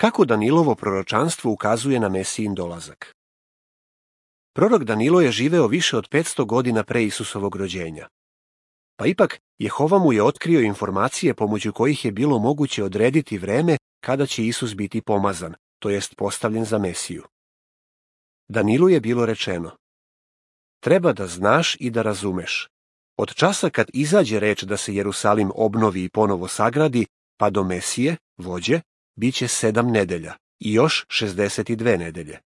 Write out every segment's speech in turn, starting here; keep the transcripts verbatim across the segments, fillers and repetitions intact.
Kako Danilovo proročanstvo ukazuje na Mesijin dolazak? Prorok Danilo je živeo više od petsto godina pre Isusovog rođenja. Pa ipak, Jehova mu je otkrio informacije pomoću kojih je bilo moguće odrediti vreme kada će Isus biti pomazan, to jest postavljen za Mesiju. Danilu je bilo rečeno: treba da znaš i da razumeš. Od časa kad izađe reč da se Jerusalim obnovi i ponovo sagradi, pa do Mesije, vođe, bit će sedam nedelja i još šezdeset dve nedelje.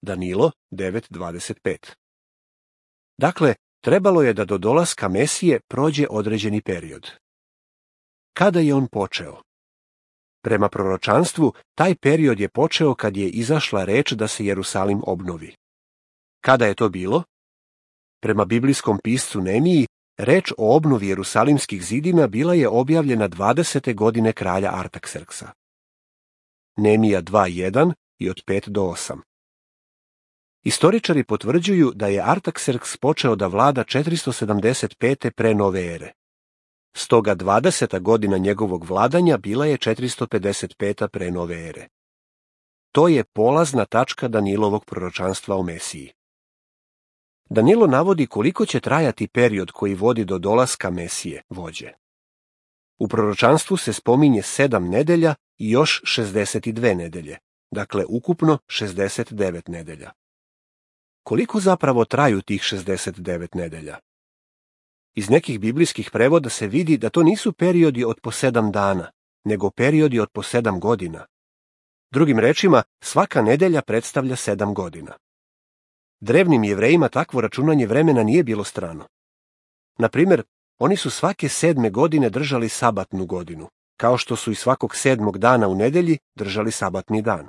Danilo devet dvadeset pet. Dakle, trebalo je da do dolaska Mesije prođe određeni period. Kada je on počeo? Prema proročanstvu, taj period je počeo kad je izašla reč da se Jerusalim obnovi. Kada je to bilo? Prema biblijskom piscu Nemiji, reč o obnovi jerusalimskih zidina bila je objavljena dvadesete godine kralja Artakserksa. Nemija dva jedan i od pet do osam. Istoričari potvrđuju da je Artakserks počeo da vlada četiristo sedamdeset pete pre nove ere. Stoga dvadeseta godina njegovog vladanja bila je četiristo pedeset peta pre nove ere. To je polazna tačka Danilovog proročanstva o Mesiji. Danilo navodi koliko će trajati period koji vodi do dolaska Mesije, vođe. U proročanstvu se spominje sedam nedelja i još šezdeset dve nedelje, dakle ukupno šezdeset devet nedelja. Koliko zapravo traju tih šezdeset devet nedelja? Iz nekih biblijskih prevoda se vidi da to nisu periodi od po sedam dana, nego periodi od po sedam godina. Drugim rečima, svaka nedelja predstavlja sedam godina. Drevnim Jevrejima takvo računanje vremena nije bilo strano. Na primjer, oni su svake sedme godine držali sabatnu godinu, kao što su i svakog sedmog dana u nedelji držali sabatni dan.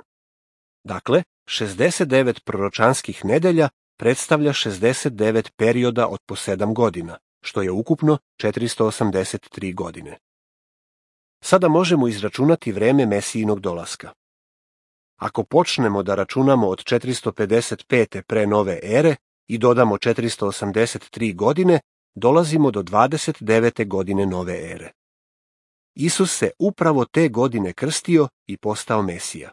Dakle, šezdeset devet proročanskih nedelja predstavlja šezdeset devet perioda od po sedam godina, što je ukupno četiristo osamdeset tri godine. Sada možemo izračunati vreme Mesijinog dolaska. Ako počnemo da računamo od četiristo pedeset pete pre nove ere i dodamo četiristo osamdeset tri godine, dolazimo do dvadeset devete godine nove ere. Isus se upravo te godine krstio i postao Mesija.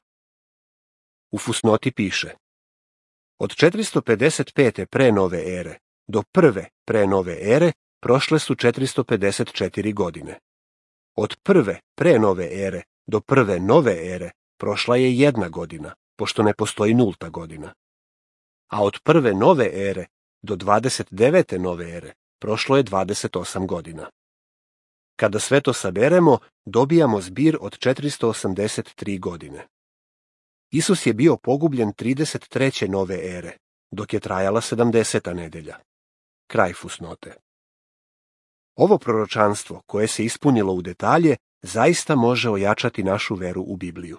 U fusnoti piše: od četiristo pedeset pete pre nove ere do prve pre nove ere prošle su četiristo pedeset četiri godine. Od prve pre nove ere do prve nove ere prošla je jedna godina, pošto ne postoji nulta godina. A od prve nove ere do dvadeset devete nove ere prošlo je dvadeset osam godina. Kada sve to saberemo, dobijamo zbir od četiristo osamdeset tri godine. Isus je bio pogubljen trideset treće nove ere, dok je trajala sedamdeseta nedelja. Kraj fusnote. Ovo proročanstvo, koje se ispunilo u detalje, zaista može ojačati našu veru u Bibliju.